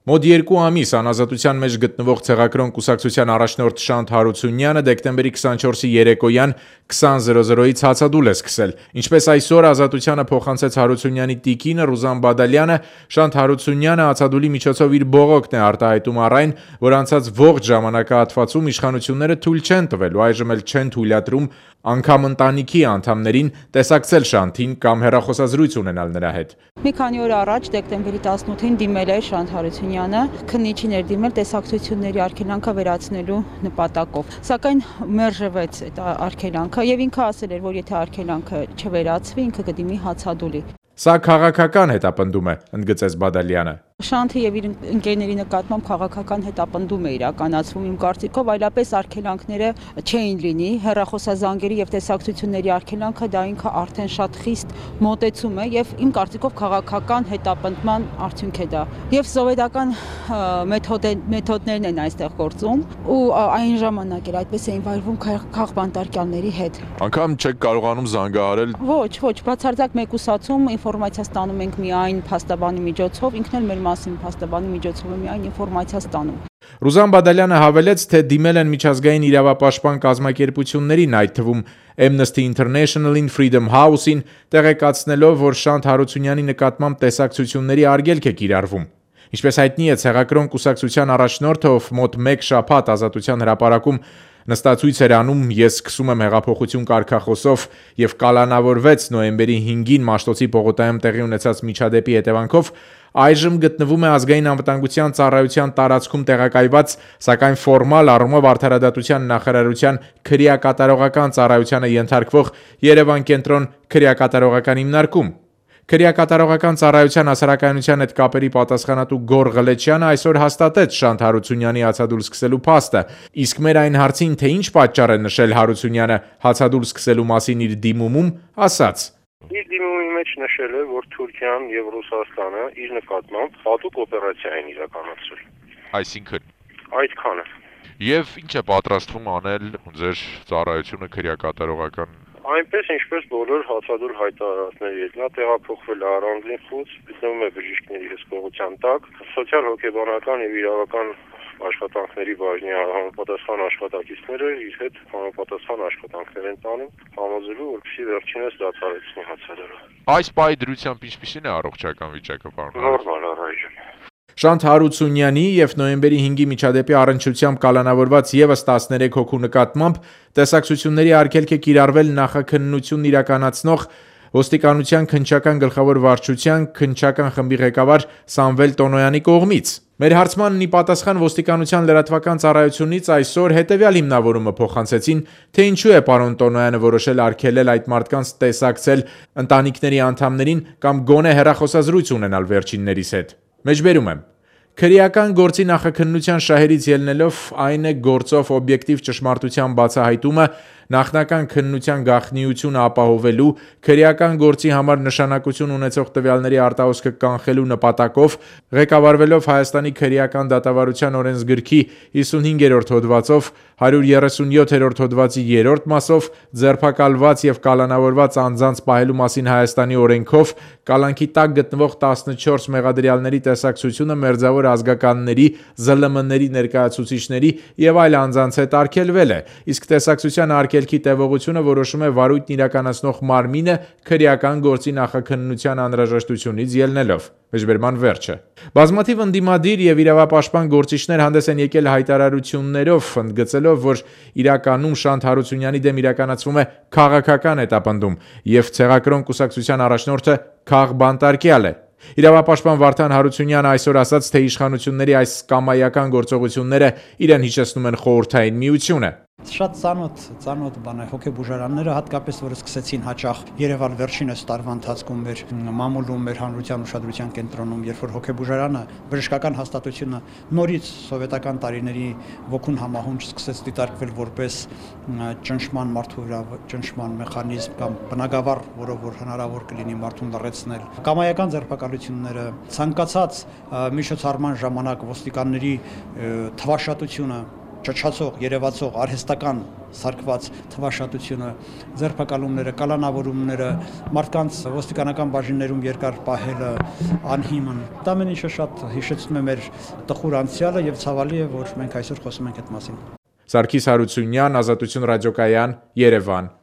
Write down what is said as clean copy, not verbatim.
Մոտ 2 ամիս անազատության մեջ գտնվող ցեղակրոն կուսակցության առաջնորդ Շանթ Հարությունյանը դեկտեմբերի 24-ի երեկոյան 20:00-ից հացադուլ է սկսել։ Ինչպես այսօր ազատությանը փոխանցեց Հարությունյանի տիկինը Ռուզան Բադալյանը, Շանթ Հարությունյանը հացադուլի միջոցով իր բողոքն է արտահայտում առ այն, որ անցած ողջ ժամանակահատվածում իշխանությունները թույլ չեն տվել ու այժմ էլ չեն թույլատրում անգամ ընտանիքի անդամներին տեսակցել Շանթին կամ հեռախոսազրույց ունենալ նրա հետ։ Մի քանի օր առաջ դեկտեմբերի 18-ին դիմել է Շանթ Հարությունյանը, քննիչին էր դիմել տեսակցությունների արգելանքը վերացնելու նպատակով։ Սակայն մերժվեց այդ արգելանքը եւ ինքը ասել էր, որ եթե արգելանքը չվերացվի, ինքը կդիմի հացադուլի։ Սա քաղաքական հետապնդում է, ընդգծեց Բադալյանը։ Շանթի եւ իր ընկերների նկատմամբ քաղաքական հետապնդում է իրականացվում իմ կարծիքով, այլապես արգելանքները չէին լինի, հեռախոսազանգերի եւ տեսակցությունների արգելանքը դա ինքը արդեն շատ խիստ մոտեցում է եւ իմ կարծիքով քաղաքական հետապնդման արդյունք է դա։ Եվ սովետական մեթոդներն են այստեղ գործում ու այն ժամանակ էր այդպես էին վայրվում քաղբանտարկյալների հետ։ Անկամ չեք կարողանում զանգահարել։ Ոչ, բացարձակ մեկուսացում ինֆորմացիա ստանում ենք միայն փաստաբանի միջոցով, ինքն էլ մեր մասին փաստաբանի միջոցով է միայն ինֆորմացիա ստանում։ Ռուզան Բադալյանը հավելեց, թե դիմել են միջազգային իրավապաշտպան կազմակերպություններին, այդ թվում Amnesty International-ին, Freedom House-ին, տեղեկացնելով, որ Շանթ Հարությունյանի նկատմամբ տեսակցությունների արգելք է կիրառվում։ Ինչպես հայտնի է, ցեղակրոն կուսակցության առաջնորդը, ով մոտ 1 շաբաթ ազատության հրապարակում նստածույց էր անում «Ես սկսում եմ հեղափոխություն» կարգախոսով եւ կալանավորվեց նոյեմբերի 5-ին Մաշտոցի պողոտայում տեղի ունեցած միջադեպի հետևանքով, այժմ գտնվում է ազգային անվտանգության ծառայության տարածքում տեղակայված, սակայն ֆորմալ առումով արդարադատության նախարարության քրեակատարողական ծառայությանը ենթարկվող Երևան կենտրոն քրեակատարողական հիմնարկում։ Քրեակատարողական ծառայության հասարակայնության հետ կապերի պատասխանատու Գոր Ղլեչյանը այսօր հաստատեց Շանթ Հարությունյանի հացադուլ սկսելու փաստը, իսկ մեր այն հարցին, թե ինչ պատճառ է նշել Հարությունյանը հացադուլ սկսելու մասին իր դիմումում, ասաց. Իր դիմումի մեջ նշել է, որ Թուրքիան եւ Ռուսաստանը իր նկատմամբ հատուկ օպերացիա են իրականացրել։ Այսինքն այդքանը։ Եվ ինչ է պատրաստվում անել ձեր ծառայությունը քրեակատարողական։ Այնպես ինչպես բոլոր հացադուլ հայտարարածների հետ, նա տեղափոխվել է առանձին խուց, գտնվում է բժիշկների հսկողության տակ, սոցիալ-հոգեբանական եւ իրավական աշխատանքների բաժնի համապատասխան աշխատակիցները իր հետ համապատասխան աշխատանքներ են տանում, համոզելու, որպեսզի վերջինս դադարեցնի հացադուլը։ Այս պահի դրությամբ ինչպիսին է առողջական վիճակը, պարոն։ Նորմալ առայժմ։ Շանթ Հարությունյանի եւ նոյեմբերի 5-ի միջադեպի առնչությամբ կալանավորված եւս 13 հոգու նկատմամբ տեսակցությունների արգելք է կիրառվել նախաքննություն իրականացնող Ոստիկանության քննչական գլխավոր վարչության քննչական խմբի ղեկավար Սամվել Տոնոյանի կողմից։ Մեր հարցմանն ի պատասխան Ոստիկանության լրատվական ծառայությունից այսօր հետևյալ հիմնավորումը փոխանցեցին, թե ինչու է պարոն Տոնոյանը որոշել արգելել այդ մարդկանց տեսակցել ընտանիքների անդամներին կամ գոնե հեռախոսազրույց ունենալ վերջիններիս հետ։ Մեջբերում եմ. Քրեական գործի նախաքննության շահերից ելնելով այն է գործով օբյեկտիվ ճշմարտության բացահայտումը, նախնական քննության գաղտնիությունը ապահովելու, քրեական գործի համար նշանակություն ունեցող տվյալների արտահոսքը կանխելու նպատակով, ղեկավարվելով Հայաստանի քրեական դատավարության օրենսգրքի 55-րդ հոդվածով, 137-րդ հոդվածի 3-րդ մասով, ձերբակալված եւ կալանավորված անձանց պահելու մասին Հայաստանի օրենքով, կալանքի տակ գտնվող 14 մեղադրյալների տեսակցությունը մերձավոր ազգականների, ԶԼՄ-ների ներկայացուցիչների եւ այլ անձանց հետ արգելվել է, իսկ տեսակցության արգելքի տևողությունը որոշում է վարույթն իրականացնող մարմինը քրեական գործի նախաքննության անհրաժեշտությունից ելնելով։ Մեջբերման վերջը։ Բազմաթիվ ընդդիմադիր եւ իրավապաշտպան գործիչներ հանդես են եկել հայտարարություններով, ընդգծելով, որ իրականում Շանթ Հարությունյանի դեմ իրականացվում է քաղաքական հետապնդում եւ ցեղակրոն կուսակցության առաջնորդը քաղբանտարկյալ է։ Իրավապաշտպան Վարդան Հարությունյանը այսօր ասաց, թե իշխանությունների այս կամայական գործողությունները իրեն հիշեցնում են Խորհրդային Միությունը։ Շատ ծանոթ բան է, հոգեբուժարանները հատկապես որ սկսեցին հաճախ Երևան վերջինս տարվա ընթացքում մեր մամուլում, մեր հանրության ուշադրության կենտրոնում, երբ որ հոգեբուժարանը բժշկական հաստատությունը նորից սովետական տարիների ոգուն համահունչ սկսեց դիտարկվել որպես ճնշման մարդու վրա ճնշման մեխանիզմ կամ բնագավառ, որով որ հնարավոր կլինի մարդուն լռեցնել։ Կամայական ձերբակալությունները, ցանկացած միջոցառման ժամանակ ոստիկանների թվաշատությունը Չչացող, երևացող արհեստական սարքված թվաշատությունը, ձերբակալումները, կալանավորումները, մարդկանց ոստիկանական բաժիններում երկար պահելը, անհիմն, դա ամեն ինչը շատ հիշեցնում է մեր տխուր անցյալը եւ ցավալի է, որ մենք այսօր խոսում ենք այդ մասին։ Սարգիս Հարությունյան, Ազատություն ռադիոկայան, Երևան։